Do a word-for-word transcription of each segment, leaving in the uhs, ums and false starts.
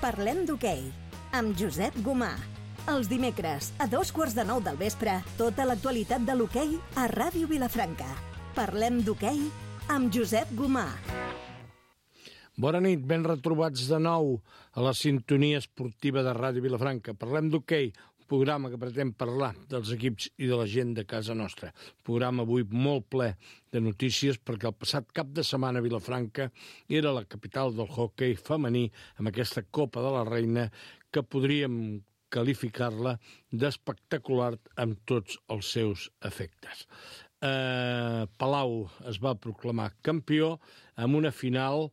Parlem d'hoquei, amb Josep Gomà. Els dimecres, a dos quarts de nou del vespre, tota l'actualitat de l'hoquei a Ràdio Vilafranca. Parlem d'hoquei amb Josep Gomà. Bona nit, ben retrobats de nou a la sintonia esportiva de Ràdio Vilafranca. Parlem d'hoquei, un programa que pretén parlar dels equips i de la gent de casa nostra. Un programa avui molt ple de notícies perquè el passat cap de setmana a Vilafranca era la capital del hoquei femení amb aquesta Copa de la Reina que podríem qualificar-la d'espectacular amb tots els seus efectes. Eh, Palau es va proclamar campió amb una final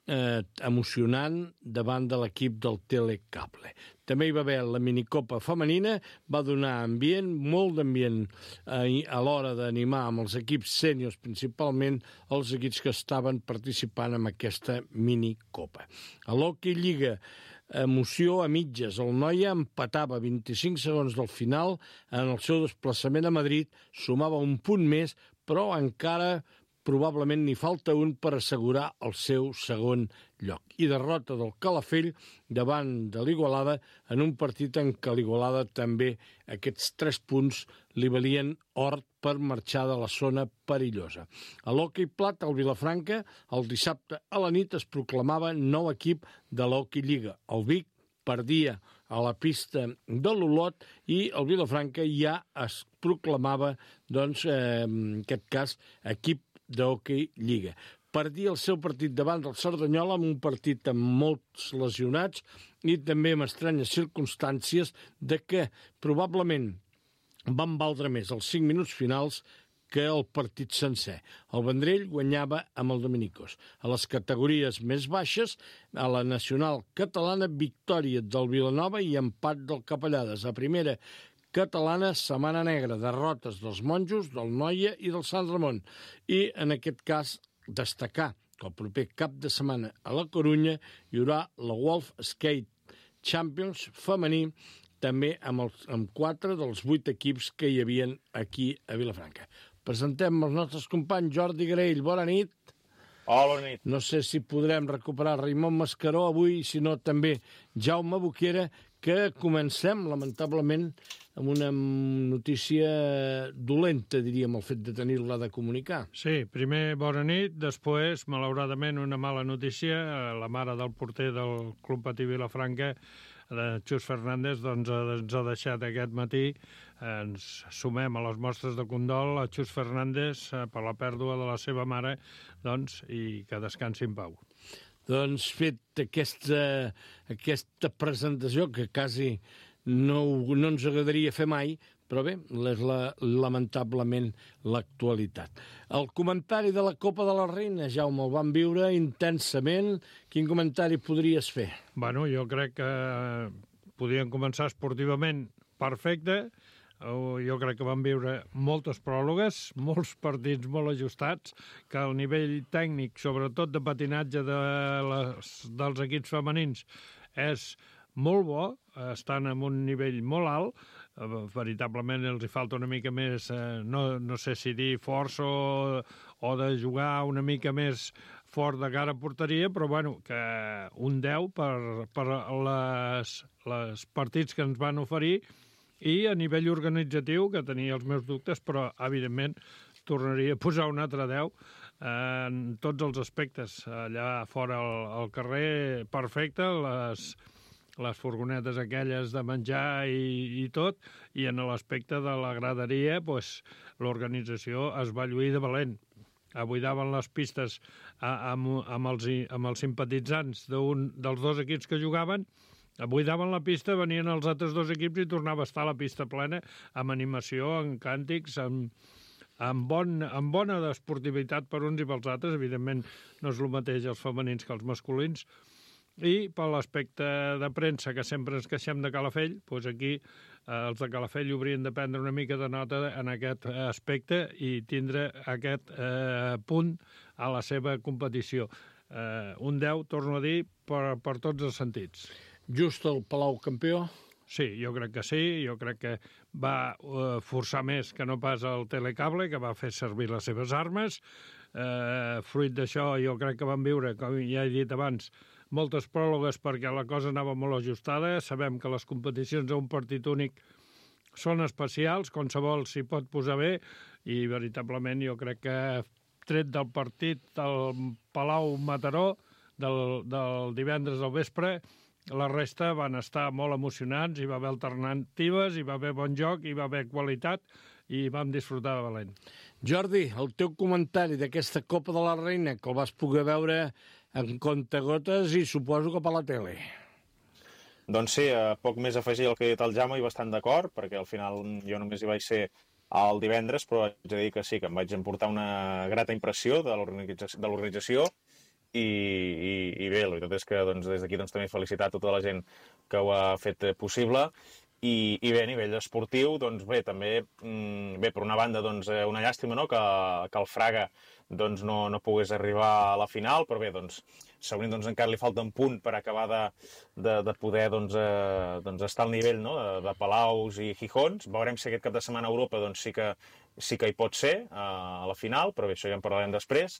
eh, emocionant davant de l'equip del Telecable. També hi va haver la minicopa femenina, va donar ambient, molt d'ambient eh, a l'hora d'animar amb els equips sèniors, principalment els equips que estaven participant en aquesta minicopa. A l'Hockey Lliga, emoció a mitges. El Noia empatava vint-i-cinc segons del final en el seu desplaçament a Madrid, sumava un punt més, però encara probablement n'hi falta un per assegurar el seu segon lloc. I derrota del Calafell davant de l'Igualada en un partit en què l'Igualada també aquests tres punts li valien or per marxar de la zona perillosa. A l'Hockey Plat, al Vilafranca, el dissabte a la nit es proclamava nou equip de l'Hockey Lliga. El Vic perdia a la pista de l'Olot i el Vilafranca ja es proclamava, doncs, eh, en aquest cas, equip d'Hockey Lliga. Perdia el seu partit davant del Cerdanyola amb un partit amb molts lesionats i també amb estranyes circumstàncies de que probablement van valdre més els cinc minuts finals que el partit sencer. El Vendrell guanyava amb el Dominicos. A les categories més baixes, a la nacional catalana, victòria del Vilanova i empat del Capellades. A primera catalana, setmana negra, derrotes dels Monjos, del Noia i del Sant Ramon. I, en aquest cas, destacar que el proper cap de setmana a la Corunya hi haurà la Wolf Skate Champions femení, també amb, els, amb quatre dels vuit equips que hi havien aquí a Vilafranca. Presentem els nostres companys. Jordi Graell, bona nit. Hola, bona nit. No sé si podrem recuperar Raimon Mascaró avui, si no també Jaume Boquera, que comencem, lamentablement, amb una notícia dolenta, diríem, el fet de tenir-la de comunicar. Sí, primer bona nit, després, malauradament, una mala notícia. La mare del porter del Club Patí Vilafranca, de Xus Fernández, doncs ens ha deixat aquest matí. Ens sumem a les mostres de condol a Xus Fernández per la pèrdua de la seva mare, doncs, i que descansi en pau. Doncs fet aquesta, aquesta presentació, que quasi no, no ens agradaria fer mai, però bé, és la, lamentablement l'actualitat. El comentari de la Copa de la Reina, Jaume, el vam viure intensament. Quin comentari podries fer? Bueno, jo crec que podríem començar esportivament perfecte. Jo crec que vam viure moltes pròrrogues, molts partits molt ajustats, que el nivell tècnic, sobretot de patinatge de les, dels equips femenins, és molt bo, estan en un nivell molt alt, veritablement els hi falta una mica més, no, no sé si dir força o, o de jugar una mica més fort de cara a porteria, però bueno, que un deu per, per les, les partits que ens van oferir. I a nivell organitzatiu, que tenia els meus dubtes, però, evidentment, tornaria a posar un altre deu en tots els aspectes. Allà fora al, al carrer, perfecte, les, les furgonetes aquelles de menjar i, i tot, i en l'aspecte de la graderia, pues, l'organització es va lluir de valent. Buidaven les pistes amb, amb, els, amb els simpatitzants d'un dels dos equips que jugaven. Buidaven la pista, venien els altres dos equips i tornava a estar la pista plena amb animació, amb càntics, amb, amb, bon, amb bona esportivitat per uns i pels altres. Evidentment no és el mateix els femenins que els masculins. I per l'aspecte de premsa, que sempre ens queixem de Calafell, doncs aquí eh, els de Calafell haurien de prendre una mica de nota en aquest aspecte i tindre aquest eh, punt a la seva competició. Eh, un deu, torno a dir, per, per tots els sentits. Just el Palau campió? Sí, jo crec que sí. Jo crec que va uh, forçar més que no pas el Telecable, que va fer servir les seves armes. Eh, fruit d'això, jo crec que van viure, com ja he dit abans, moltes pròrrogues perquè la cosa anava molt ajustada. Sabem que les competicions a un partit únic són especials, qualsevol s'hi pot posar bé, i veritablement jo crec que tret del partit del Palau-Mataró del, del divendres al vespre, la resta van estar molt emocionants, hi va haver alternatives, hi va haver bon joc, hi va haver qualitat i vam disfrutar de valent. Jordi, el teu comentari d'aquesta Copa de la Reina, que el vas poder veure en comptagotes i suposo que per la tele. Doncs sí, eh, poc més afegir el que ha dit el Jaume i bastant d'acord, perquè al final jo només hi vaig ser el divendres, però haig de dir que sí, que em vaig emportar una grata impressió de l'organització. I, i, i bé, la veritat és que doncs, des d'aquí doncs, també felicitar a tota la gent que ho ha fet possible i, i bé, a nivell esportiu doncs bé, també, bé, per una banda doncs, una llàstima, no?, que, que el Fraga doncs, no, no pogués arribar a la final, però bé, doncs, segurament doncs, encara li falta un punt per acabar de, de, de poder doncs, eh, doncs, estar al nivell, no?, de, de Palaus i Gijons. Veurem si aquest cap de setmana a Europa doncs, sí que sí que hi pot ser a la final, però bé, això ja en parlarem després.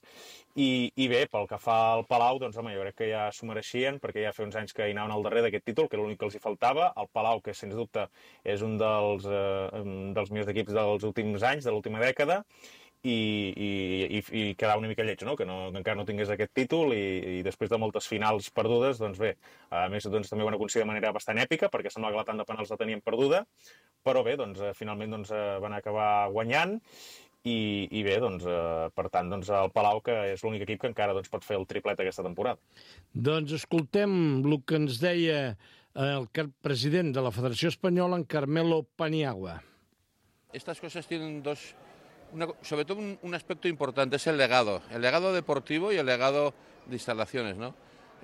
I, i bé, pel que fa al Palau, doncs home, jo crec que ja s'ho mereixien, perquè ja fa uns anys que hi anaven al darrer d'aquest títol, que era l'únic que els hi faltava. El Palau, que sens dubte és un dels, eh, dels millors equips dels últims anys, de l'última dècada, i, i, i, i quedava una mica lleig, no?, que, no, que encara no tingués aquest títol, i, i després de moltes finals perdudes, doncs bé, a més doncs, també ho han aconseguit de manera bastant èpica, perquè sembla que la tant de penals la tenien perduda, però bé, doncs, finalment doncs, van acabar guanyant, i, i bé, doncs, per tant, doncs, el Palau, que és l'únic equip que encara doncs, pot fer el triplet aquesta temporada. Doncs escoltem el que ens deia el president de la Federació Espanyola, en Carmelo Paniagua. Estas cosas tienen dos... Una, sobre todo un, un aspecto importante, es el legado, el legado deportivo y el legado de instalaciones, ¿no?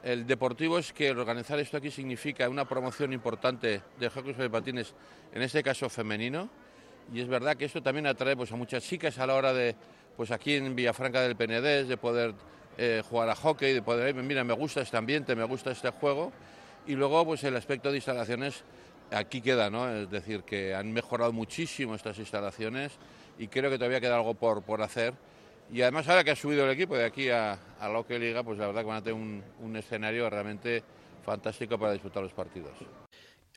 El deportivo es que organizar esto aquí significa una promoción importante del hockey sobre patines, en este caso femenino, y es verdad que esto también atrae pues, a muchas chicas a la hora de, pues aquí en Villafranca del Penedés, de poder eh, jugar a hockey, de poder, mira, me gusta este ambiente, me gusta este juego, y luego pues el aspecto de instalaciones aquí queda, ¿no? Es decir, que han mejorado muchísimo estas instalaciones y creo que todavía queda algo por, por hacer. Y además ahora que ha subido el equipo de aquí a, a la Hockey Liga, pues la verdad que van a tener un, un escenario realmente fantástico para disputar los partidos.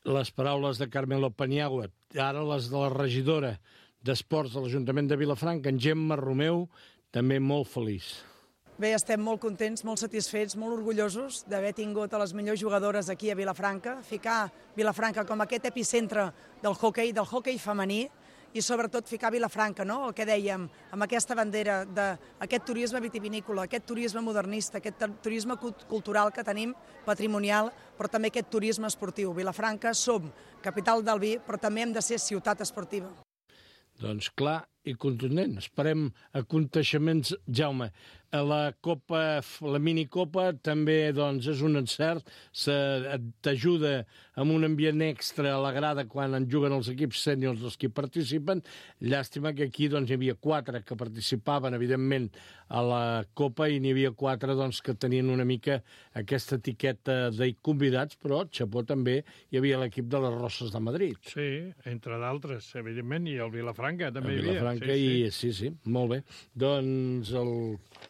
Les paraules de Carmelo Paniagua, ara les de la regidora d'Esports de l'Ajuntament de Vilafranca, en Gemma Romeu, també molt feliç. Bé, estem molt contents, molt satisfets, molt orgullosos d'haver tingut a les millors jugadores aquí a Vilafranca, ficar Vilafranca com aquest epicentre del hoquei, del hoquei femení, i sobretot ficar Vilafranca, no?, el que dèiem, amb aquesta bandera d'aquest turisme vitivinícola, aquest turisme modernista, aquest turisme cultural que tenim, patrimonial, però també aquest turisme esportiu. Vilafranca som capital del vi, però també hem de ser ciutat esportiva. Doncs clar i contundent. Esperem aconteixements, Jaume. La Copa, la minicopa també doncs, és un encert, t'ajuda amb un ambient extra a la grada quan en juguen els equips sèniors dels que participen. Llàstima que aquí doncs, hi havia quatre que participaven, evidentment, a la Copa i n'hi havia quatre doncs, que tenien una mica aquesta etiqueta de convidats, però xapó també hi havia l'equip de les Roses de Madrid. Sí, entre d'altres, evidentment, i el Vilafranca també el hi havia. Vilafranca sí, i sí, sí, molt bé. Doncs el...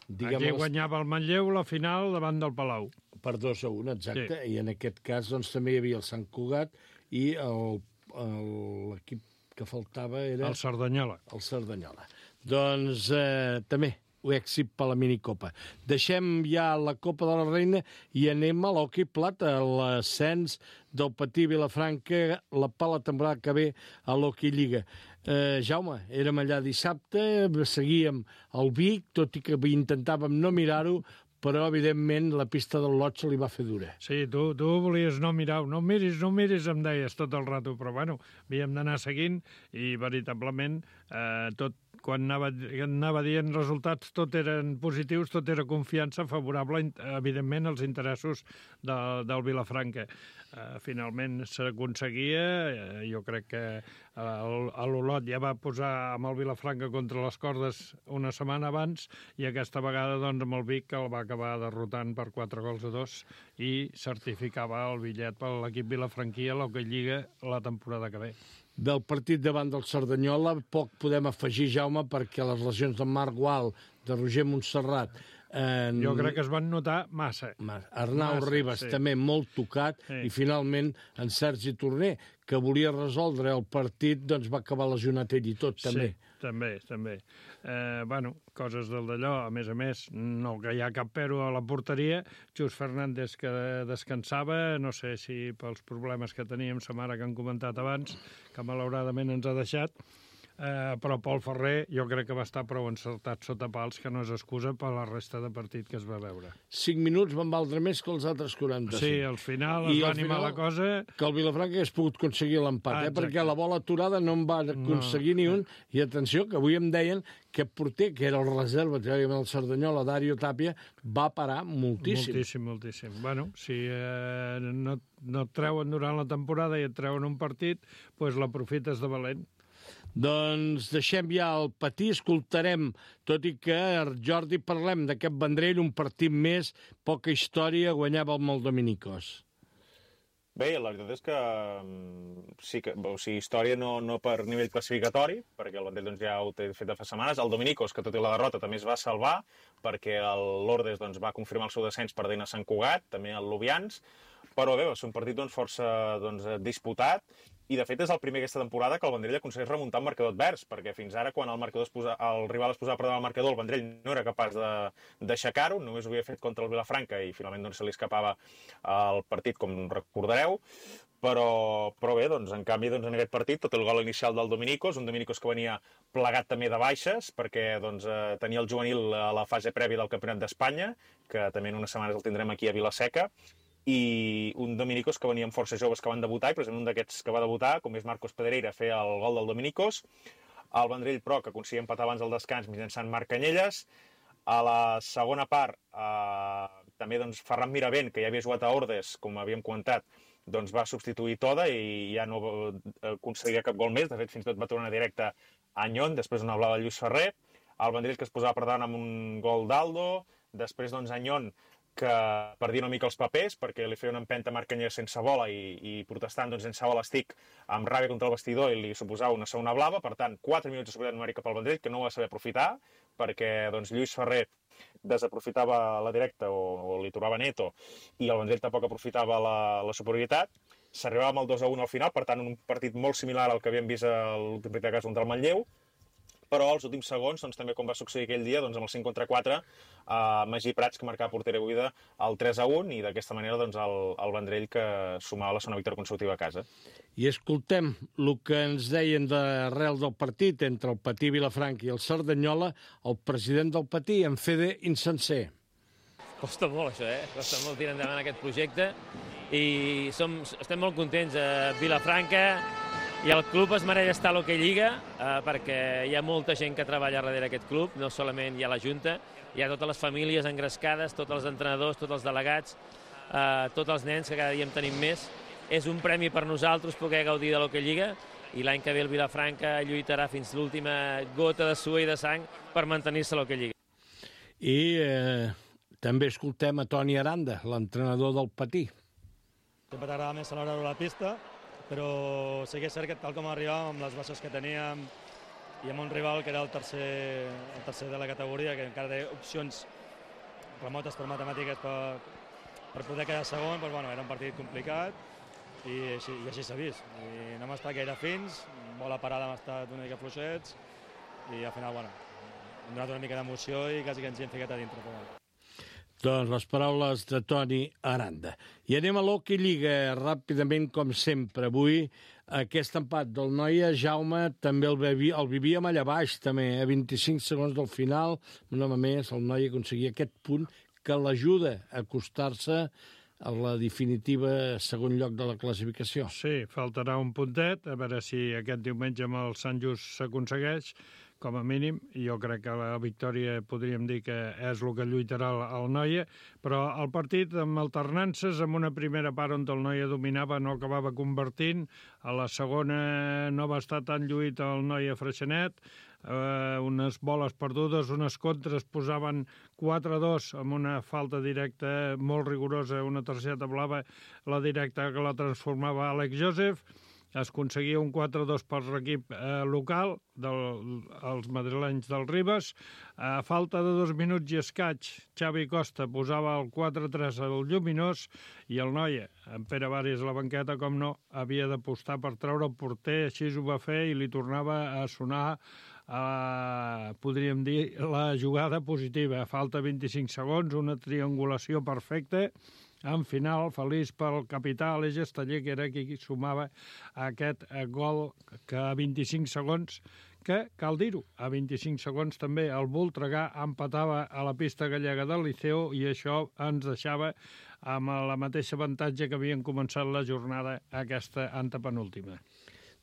Diguem, aquí guanyava el Manlleu la final davant del Palau. Per dos a un, exacte. Sí. I en aquest cas doncs, també hi havia el Sant Cugat i l'equip que faltava era... El Cerdanyola. El Cerdanyola. Doncs eh, també èxit per la minicopa. Deixem ja la Copa de la Reina i anem a l'hoquei plata, a l'ascens del Patí Vilafranca la, per la temporada que ve a l'Hockey Lliga. Eh, Jaume, érem allà dissabte, seguíem el Vic, tot i que intentàvem no mirar-ho, però, evidentment, la pista del Lot se li va fer dura. Sí, tu, tu volies no mirar, no miris, no miris, em deies tot el rato, però, bueno, havíem d'anar seguint i, veritablement, eh, tot, quan anava, anava dient resultats, tot eren positius, tot era confiança favorable, evidentment, als interessos de, del Vilafranca. Uh, finalment s'aconseguia, uh, jo crec que uh, l'Olot ja va posar amb el Vilafranca contra les cordes una setmana abans i aquesta vegada doncs, amb el Vic el va acabar derrotant per quatre gols a dos i certificava el bitllet per l'equip vilafranquí a l'Hockey Lliga la temporada que ve. Del partit davant del Cerdanyola poc podem afegir, Jaume, perquè les lesions de Marc Gual, de Roger Montserrat, En... Jo crec que es van notar massa. Arnau massa, Ribas sí. també molt tocat, sí. i finalment en Sergi Torner, que volia resoldre el partit, doncs va acabar lesionat ell i tot, també. Sí, també, també. Eh, bueno, coses del d'allò, a més a més, no que hi ha cap pero a la porteria, Jus Fernández que descansava, no sé si pels problemes que teníem sa mare que han comentat abans, que malauradament ens ha deixat, Eh, però Pol Ferrer jo crec que va estar prou encertat sota pals, que no és excusa per la resta de partit que es va veure. Cinc minuts van valdre més que els altres quaranta-cinc. Sí, al final es I va al animar final, la cosa. Que el Vilafranca hagués pogut aconseguir l'empat, Ah, eh? Perquè la bola aturada no en va aconseguir No. ni un. I atenció, que avui em deien que porter, que era el reserva, teòricament el Cerdanyola, Dario Tapia, va parar moltíssim. Moltíssim, moltíssim. Bueno, si eh, no, no et treuen durant la temporada i et treuen un partit, doncs l'aprofites de valent. Doncs deixem ja el patí, escoltarem, tot i que, Jordi, parlem d'aquest Vendrell, un partit més, poca història, guanyava amb el Dominicos. Bé, la veritat és que sí que, o sigui, història no, no per nivell classificatori, perquè el Vendrell doncs, ja ho té fet de fa setmanes. El Dominicos, que tot i la derrota també es va salvar, perquè el Lourdes doncs, va confirmar el seu descens perdent a Sant Cugat, també el Lubians, però bé, va ser un partit doncs, força doncs, disputat, i de fet és el primer aquesta temporada que el Vendrell aconsegueix remuntar un marcador advers, perquè fins ara quan el, marcador es posa, el rival es posava per davant el marcador, el Vendrell no era capaç d'aixecar-ho, només ho havia fet contra el Vilafranca i finalment doncs, se li escapava el partit, com recordareu, però, però bé, doncs, en canvi doncs, en aquest partit tot el gol inicial del Dominicos, un Dominicos que venia plegat també de baixes, perquè doncs, eh, tenia el juvenil a la fase prèvia del Campionat d'Espanya, que també en unes setmanes el tindrem aquí a Vilaseca, i un Dominicos que venia amb força joves que van debutar, i precisament un d'aquests que va debutar, com és Marcos Pedreira, fer el gol del Dominicos, el Vendrell, però, que aconseguia empatar abans del descans mitjançant Marc Canyelles. A la segona part, eh, també doncs, Ferran Miravent, que ja havia jugat a Ordes, com havíem comentat, doncs va substituir Toda i ja no aconseguia cap gol més. De fet, fins i tot va tornar directe a Anyon, després una blava de Lluís Ferrer. El Vendrell, que es posava per davant amb un gol d'Aldo. Després, doncs, Anyon, que perdia una mica els papers perquè li feia una empenta a Marc Canyelles sense bola i, i protestant doncs, sense bola estic amb ràbia contra el vestidor i li suposava una segona blava. Per tant, quatre minuts de superioritat numèrica pel Vendrell, que no ho va saber aprofitar perquè doncs, Lluís Ferrer desaprofitava la directa o, o li trobava neto i el Vendrell tampoc aprofitava la, la superioritat. S'arribava amb el dos a un al final, per tant un partit molt similar al que havíem vist a l'últim partit de casa contra el Manlleu, però als últims segons, doncs, també com va succeir aquell dia, doncs, amb el cinc contra quatre, eh, Magí Prats, que marcava porteria buida, el tres a un, i d'aquesta manera doncs, el, el Vendrell que sumava la segona victòria consecutiva a casa. I escoltem el que ens deien d'arrel del partit entre el Patí Vilafranca i el Cerdanyola, el president del Patí, en Fede Insenser. Costa molt, això, eh? Costa molt tirar endavant aquest projecte i som, estem molt contents a Vilafranca i el club es mereix estar a l'Hockey Lliga eh, perquè hi ha molta gent que treballa darrere aquest club, no solament hi ha la Junta, hi ha totes les famílies engrescades, tots els entrenadors, tots els delegats, eh, tots els nens, que cada dia en tenim més. És un premi per nosaltres poder gaudir de l'Hockey Lliga i l'any que ve el Vilafranca lluitarà fins l'última gota de suor i de sang per mantenir-se a l'Hockey Lliga. I eh, també escoltem a Toni Aranda, l'entrenador del Patí. Sempre t'agrada més celebrar-ho a la pista, però sí que és cert que tal com arribàvem amb les baixes que teníem i amb un rival que era el tercer, el tercer de la categoria, que encara té opcions remotes per matemàtiques per, per poder quedar segon, doncs, bueno, era un partit complicat i així, i així s'ha vist. I no hem estat gaire fins, bola parada hem estat una mica fluixets i al final bueno, hem donat una mica d'emoció i quasi que ens hi hem ficat a dintre. Però, bueno. Doncs les paraules de Toni Aranda. I anem a l'Hockey Lliga ràpidament, com sempre. Avui aquest empat del Noia, Jaume, també el, vivi, el vivíem allà baix, també, a vint-i-cinc segons del final. Una vegada més, el Noia aconseguia aquest punt que l'ajuda a acostar-se a la definitiva segon lloc de la classificació. Sí, faltarà un puntet, a veure si aquest diumenge amb el Sant Just s'aconsegueix, com a mínim, i jo crec que la victòria podríem dir que és el que lluitarà el, el Noia, però el partit amb alternances, amb una primera part on el Noia dominava, no acabava convertint, a la segona no va estar tan lluit el Noia Freixenet, eh, unes boles perdudes, unes contres posaven quatre a dos amb una falta directa molt rigorosa, una targeta blava, la directa que la transformava Àlex Joseph, es aconseguia un quatre dos per l'equip eh, local, del, els madrilenys del Ribes. A falta de dos minuts i escaig, Xavi Costa posava el quatre tres al Lluminós i el Noia, en Pere Varis a la banqueta, com no, havia d'apostar per treure el porter, així ho va fer i li tornava a sonar, eh, podríem dir, la jugada positiva. A falta vint-i-cinc segons, una triangulació perfecta. En final, feliç pel capità Aleix Esteller, que era qui sumava aquest gol que a vint-i-cinc segons, que, cal dir-ho, a vint-i-cinc segons també el Voltregà empatava a la pista gallega del Liceo i això ens deixava amb la mateixa avantatge que havien començat la jornada aquesta antepenúltima.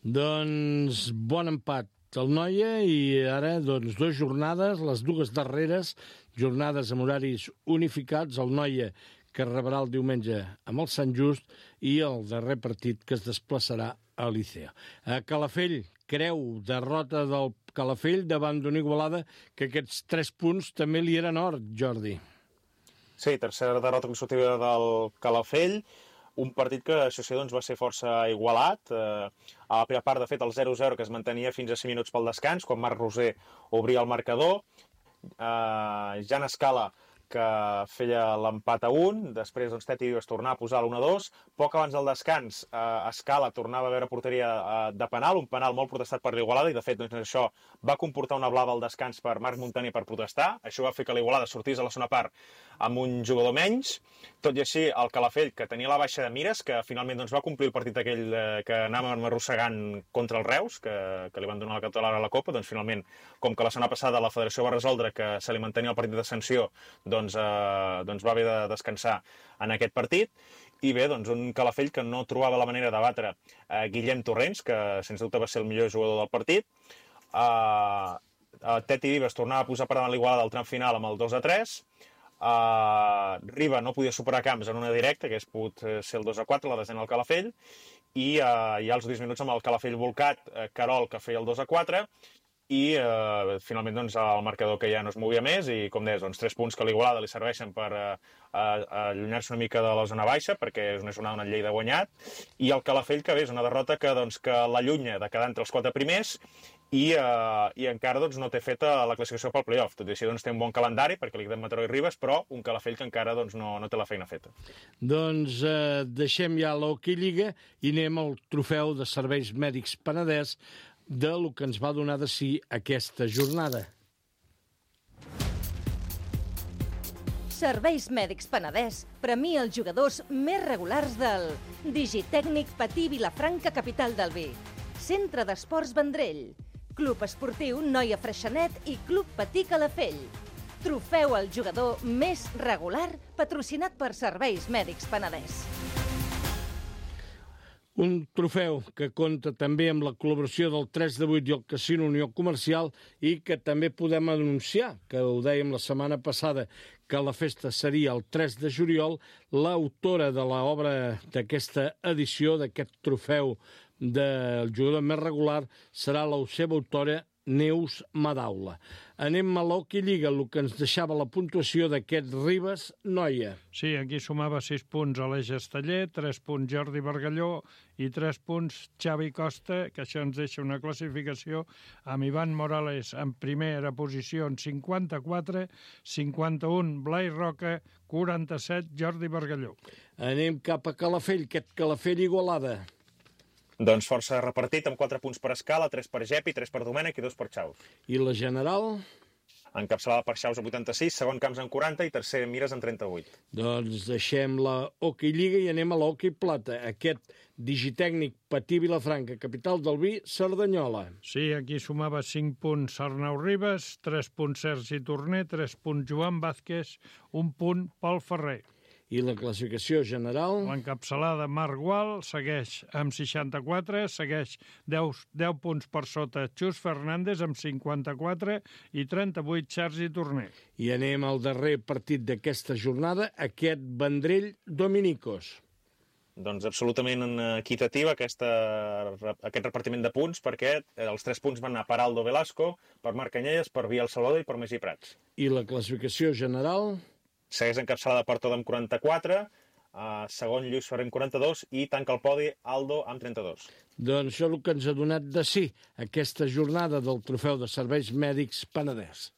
Doncs bon empat el Noia i ara doncs dues jornades, les dues darreres jornades amb horaris unificats, el Noia que rebrà el diumenge amb el Sant Just i el darrer partit que es desplaçarà a Liceo. A Calafell, creu, derrota del Calafell davant d'una Igualada que aquests tres punts també li eren or, Jordi. Sí, tercera derrota consecutiva del Calafell, un partit que, això sí, doncs, va ser força igualat. Eh, a la primera part, de fet, el zero zero que es mantenia fins a cinc minuts pel descans, quan Marc Roser obria el marcador. Eh, Jan Escala, que feia l'empat a un, després doncs, Teti es tornava a posar l'u a dos, poc abans del descans eh, Escala tornava a veure porteria eh, de penal, un penal molt protestat per l'Igualada, i de fet doncs, això va comportar una blava al descans per Marc Montani per protestar, això va fer que l'Igualada sortís a la segona part amb un jugador menys. Tot i així, el Calafell, que tenia la baixa de mires, que finalment doncs, va complir el partit aquell eh, que anàvem arrossegant contra el Reus, que, que li van donar la catalana a la Copa, doncs finalment, com que la setmana passada la Federació va resoldre que se li mantenia el partit de sanció, doncs, eh, doncs va haver de descansar en aquest partit. I bé, doncs un Calafell que no trobava la manera de batre eh, Guillem Torrents, que sens dubte va ser el millor jugador del partit. Eh, eh, Teti Vives tornava a posar per davant l'Igualada del tram final amb el dos a tres. Uh, Riba no podia superar Camps en una directa, que hagués pogut ser el dos a quatre, la desena al Calafell, i uh, ja als dix minuts amb el Calafell volcat, uh, Carol, que feia el dos a quatre, i uh, finalment doncs, el marcador que ja no es movia més, i com deies, doncs, tres punts que a l'Igualada li serveixen per uh, uh, allunyar-se una mica de la zona baixa, perquè és una jornada on el Lleida ha guanyat, i el Calafell, que bé, és una derrota que, doncs, que l'allunya de quedar entre els quatre primers, i, uh, i encara doncs, no té feta la classificació pel playoff. Tot i així doncs, té un bon calendari perquè li queden Mataró i Ribes, però un Calafell que encara doncs, no, no té la feina feta. Doncs eh, deixem ja l'Hockey Lliga i anem al trofeu de Serveis Mèdics Penedès de lo que ens va donar de si aquesta jornada. Serveis Mèdics Penedès premia els jugadors més regulars del Digitècnic Patí Vilafranca, capital del vi, Centre d'Esports Vendrell, Club Esportiu Noia Freixenet i Club Patí Calafell. Trofeu al jugador més regular patrocinat per Serveis Mèdics Penedès. Un trofeu que compta també amb la col·laboració del tres de vuit i el Casino Unió Comercial i que també podem anunciar, que ho dèiem la setmana passada, que la festa seria el tres de juliol. L'autora de l'obra d'aquesta edició, d'aquest trofeu del jugador més regular, serà la seva autora Neus Madaula. Anem a l'Hockey Lliga, el que ens deixava la puntuació d'aquest Ribes Noia. Sí, aquí sumava sis punts Aleix Esteller, tres punts Jordi Bargalló i tres punts Xavi Costa, que això ens deixa una classificació amb Ivan Morales en primera posició en cinquanta-quatre, cinquanta-un Blai Roca, quaranta-set Jordi Bargalló. Anem cap a Calafell, aquest Calafell Igualada. Doncs força repartit, amb quatre punts per Escala, tres per Gepi, tres per Domènec i dos per Xaus. I la general? Encapçalada per Xaus a vuitanta-sis, segon Camps en quaranta i tercer Mires en trenta-vuit. Doncs deixem la Hockey Lliga i anem a l'Hockey Plata, aquest Digitècnic Patí Vilafranca, capital del vi, Cerdanyola. Sí, aquí sumava cinc punts Arnau Ribes, tres punts Sergi Torner, tres punts Joan Vázquez, un punt Pol Ferrer. I la classificació general? L'encapçalada Marc Gual segueix amb seixanta-quatre, segueix deu, deu punts per sota Xus Fernández amb cinquanta-quatre i trenta-vuit Sergi Torner. I anem al darrer partit d'aquesta jornada, aquest Vendrell Dominicos. Doncs absolutament equitativa aquesta, aquest repartiment de punts, perquè els tres punts van anar per Aldo Velasco, per Marc Canyelles, per Biel Salvador i per Magí Prats. I la classificació general? Segueix encapçalada per Toda amb quaranta-quatre, Uh, segon, Lluís Ferrer amb quaranta-dos i tanca el podi Aldo amb trenta-dos. Doncs això és el que ens ha donat de sí aquesta jornada del Trofeu de Serveis Mèdics Penedès.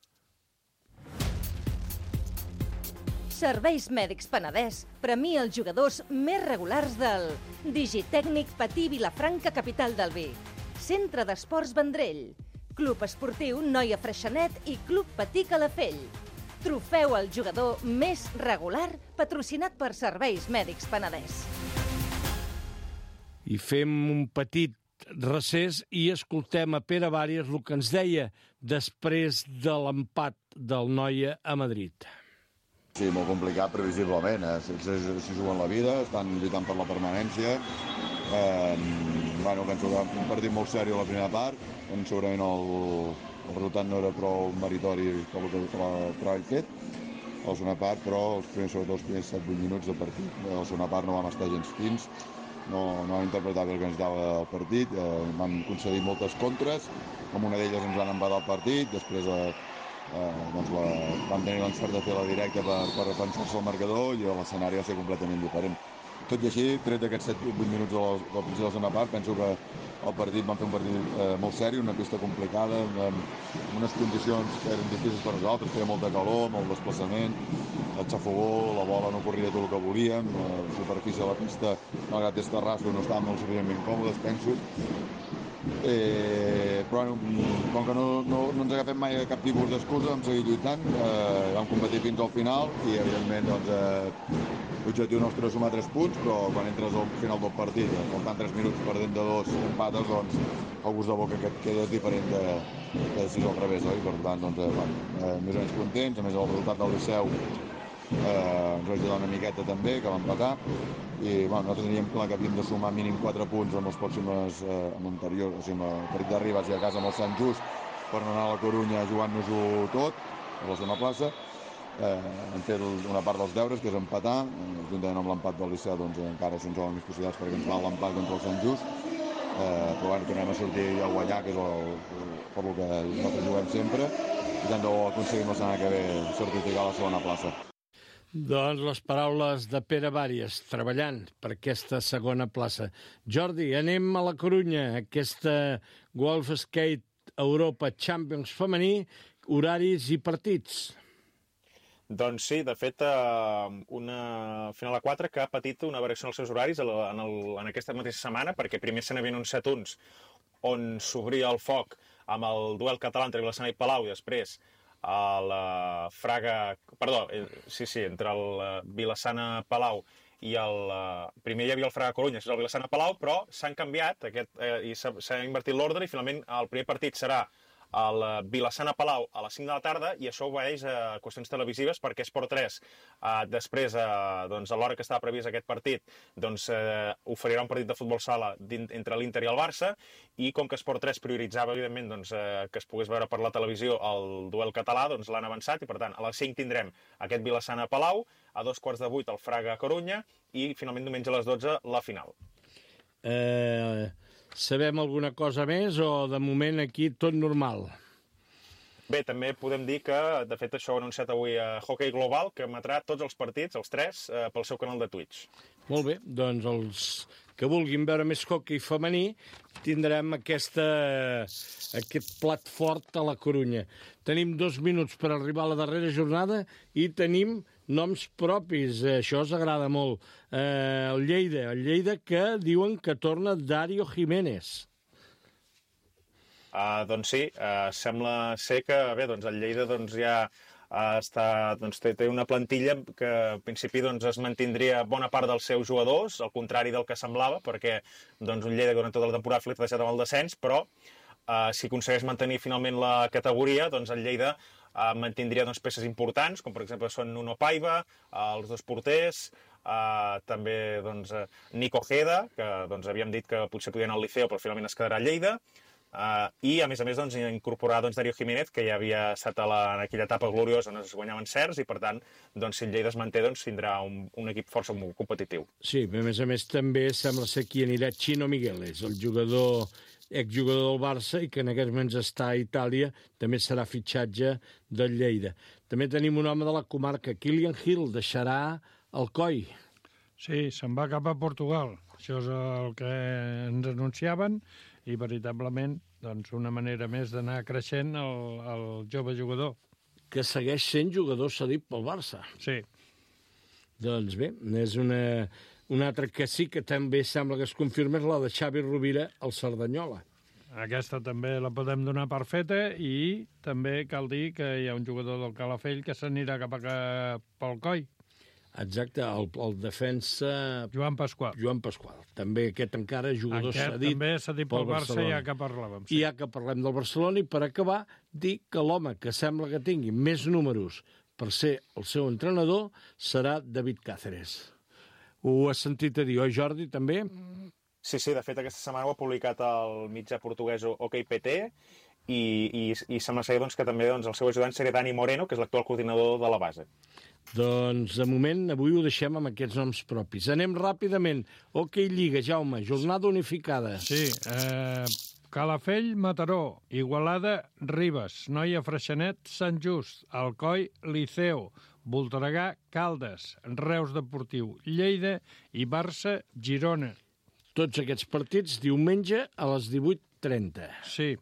Serveis Mèdics Penedès premia els jugadors més regulars del Digitècnic Patí Vilafranca, capital del vi, Centre d'Esports Vendrell, Club Esportiu Noia Freixenet i Club Patí Calafell. Trofeu al jugador més regular patrocinat per Serveis Mèdics Penedès. I fem un petit recés i escoltem a Pere Bàries el que ens deia després de l'empat del Noia a Madrid. Sí, molt complicat, previsiblement. Eh? Si, si, si juguen la vida, estan lluitant per la permanència. Eh, bueno, penso que un partit molt seriós a la primera part, on segurament el... El resultat no era prou meritori per el treball fet, a la segona part, però els primers, sobretot els primers set vuit minuts de partit. A la segona part no vam estar gens fins, no, no vam interpretar bé el que ens dava el partit, eh, vam concedir moltes contres, amb una d'elles ens van empatar el partit, després eh, eh, doncs la, vam tenir l'encert de fer la directa per, per defensar-se el marcador i l'escenari va ser completament diferent. Tot i així, tret d'aquests set vuit minuts de la, del principi de la segona part, penso que el partit vam fer un partit eh, molt seri, una pista complicada, amb, amb unes condicions que eren difícils per nosaltres, feia molta calor, molt desplaçament, el xafogó, la bola no corria tot el que volíem, la superfície de la pista, malgrat és terrassa, no estàvem molt suficientment còmodes, penso. Eh, però bueno, com que no, no, no ens agafem mai cap tipus d'excusa, vam seguir lluitant, eh, vam competir fins al final i evidentment doncs, eh, l'objectiu nostre és sumar tres punts, però quan entres al final del partit, eh, faltant tres minuts perdent de dos empates, doncs el gust de boca que et queda és diferent de, de si és al revés, oi? Per tant, doncs, eh, bueno, eh, més o menys contents, a més el resultat del Liceu eh, ens va ajudar una miqueta també, que va empatar, i bueno, nosaltres teníem clar que havíem de sumar mínim quatre punts amb els pròxims eh, amb l'anterior, o sigui, amb el partit d'Arribas i a casa amb el Sant Just per no anar a la Corunya jugant-nos-ho tot a la segona plaça. Eh, hem fet una part dels deures, que és empatar, eh, juntament amb l'empat del Liceu doncs encara se'ns donen més possibilitats perquè ens val l'empat contra el Sant Just, eh, però bueno, tornem a sortir a guanyar, que és el, el, per el que nosaltres juguem sempre, i tant de bo aconseguim la setmana que ve certificar la segona plaça. Doncs les paraules de Pere Bàries, treballant per aquesta segona plaça. Jordi, anem a la Corunya, aquesta Golf Skate Europa Champions femení, horaris i partits. Doncs sí, de fet, una final a quatre que ha patit una variació en els seus horaris en, el, en aquesta mateixa setmana, perquè primer se n'havien anunciat uns on s'obria el foc amb el duel català entre Vilassana i Palau i després a la Fraga... Perdó, sí, sí, entre el Vilassana-Palau i el... Primer hi havia el Fraga-Corunya, és el Vilassana-Palau, però s'han canviat aquest, eh, i s'ha invertit l'ordre i finalment el primer partit serà el Vilassana-Palau a les cinc de la tarda i això obeeix a qüestions televisives perquè Esport tres, eh, després, eh, doncs, a l'hora que estava previst aquest partit, doncs, eh, oferirà un partit de futbol sala entre l'Inter i el Barça i com que Esport tres prioritzava, evidentment, doncs, eh, que es pogués veure per la televisió el duel català, doncs l'han avançat i, per tant, a les cinc tindrem aquest Vilassana-Palau, a dos quarts de vuit el Fraga-Corunya i, finalment, diumenge a les dotze, la final. Eh... Sabem alguna cosa més o, de moment, aquí tot normal? Bé, també podem dir que, de fet, això ho ha anunciat avui a Hockey Global, que emetrà tots els partits, els tres, eh, pel seu canal de Twitch. Molt bé, doncs els que vulguin veure més hockey femení tindrem aquesta, aquest plat fort a la Corunya. Tenim dos minuts per arribar a la darrera jornada i tenim noms propis, això us agrada molt. Eh, el Lleida, el Lleida que diuen que torna Dario Jiménez. Uh, doncs sí, uh, sembla ser que bé, doncs el Lleida doncs, ja uh, està, doncs, té, té una plantilla que al principi doncs, es mantindria bona part dels seus jugadors, al contrari del que semblava, perquè doncs, un Lleida durant tota la temporada ha flirtejat amb el descens, però uh, si aconsegueix mantenir finalment la categoria, doncs el Lleida uh, mantindria doncs, peces importants, com per exemple són Nuno Paiva, uh, els dos porters, uh, també doncs, uh, Nico Ojeda, que doncs, havíem dit que potser podia anar al Liceo, però finalment es quedarà a Lleida, Uh, i a més a més doncs, incorporar doncs, Dario Jiménez, que ja havia estat a la, en aquella etapa gloriosa on es guanyaven certs i per tant doncs, si el Lleida es manté doncs, tindrà un, un equip força competitiu. Sí, a més a més també sembla ser qui anirà Chino Migueles, el jugador exjugador del Barça i que en aquests moments està a Itàlia, també serà fitxatge del Lleida. També tenim un home de la comarca, Kilian Hill, deixarà el Coi. Sí, se'n va cap a Portugal. Això és el que ens anunciaven i, veritablement, doncs, una manera més d'anar creixent el, el jove jugador. Que segueix sent jugador cedit pel Barça. Sí. Doncs bé, és una, una altra que sí que també sembla que es confirma, és la de Xavi Rovira al Cerdanyola. Aquesta també la podem donar per feta i també cal dir que hi ha un jugador del Calafell que s'anirà cap a pel Coi. Exacte, el, el defensa... Joan Pasqual. Joan Pasqual. També aquest encara jugador aquest cedit també cedit pel Barça, ja que parlàvem. Sí. I ja que parlem del Barcelona, i per acabar, dir que l'home que sembla que tingui més números per ser el seu entrenador serà David Cáceres. Ho has sentit a dir, oi, Jordi, també? Sí, sí, de fet aquesta setmana ho ha publicat el mitjà portuguès O K P T i, i, i sembla ser doncs, que també doncs, el seu ajudant seria Dani Moreno, que és l'actual coordinador de la base. Doncs, de moment, avui ho deixem amb aquests noms propis. Anem ràpidament. Hoquei Lliga, Jaume, jornada unificada. Sí, eh, Calafell, Mataró, Igualada, Ribes, Noia, Freixenet, Sant Just, Alcoi, Liceo, Voltregà, Caldes, Reus Deportiu, Lleida i Barça, Girona. Tots aquests partits diumenge a les divuit trenta. Sí.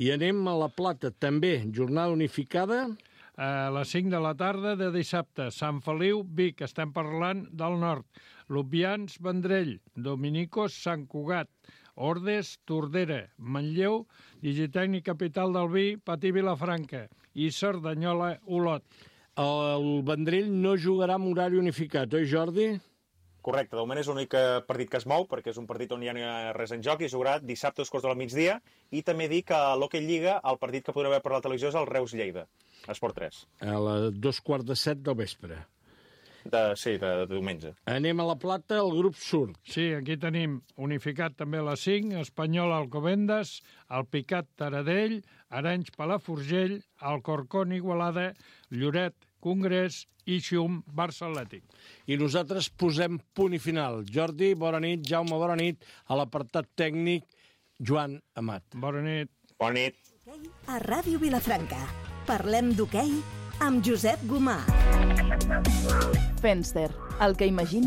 I anem a La Plata, també, jornada unificada. A les cinc de la tarda de dissabte, Sant Feliu, Vic, estem parlant del nord. Lubians, Vendrell, Dominicos, Sant Cugat, Ordes, Tordera, Manlleu, Digitècnic Capital del Vi, Patí Vilafranca i Cerdanyola, Olot. El Vendrell no jugarà amb horari unificat, oi, Jordi? Correcte, de moment és l'únic partit que es mou, perquè és un partit on ja no hi ha res en joc, i es jugarà dissabte a dos quarts de la migdia, i també dir que a l'Hockey Lliga el partit que podrà veure per la televisió és el Reus-Lleida, Esport tres. A les dos quarts de set del vespre. De, sí, de, de diumenge. Anem a La Plata, el grup surt. Sí, aquí tenim unificat també a les cinc, Espanyol Alcobendas, el Picat Taradell, Arenys Palafrugell, Alcorcón Igualada, Lloret Congrés i Xum Barça Atlètic. I nosaltres posem punt i final. Jordi, bona nit. Jaume, bona nit. A l'apartat tècnic, Joan Amat. Bona nit. Bona nit. A Ràdio Vilafranca. Parlem d'hoquei amb Josep Gomà. Fenster, el que imagini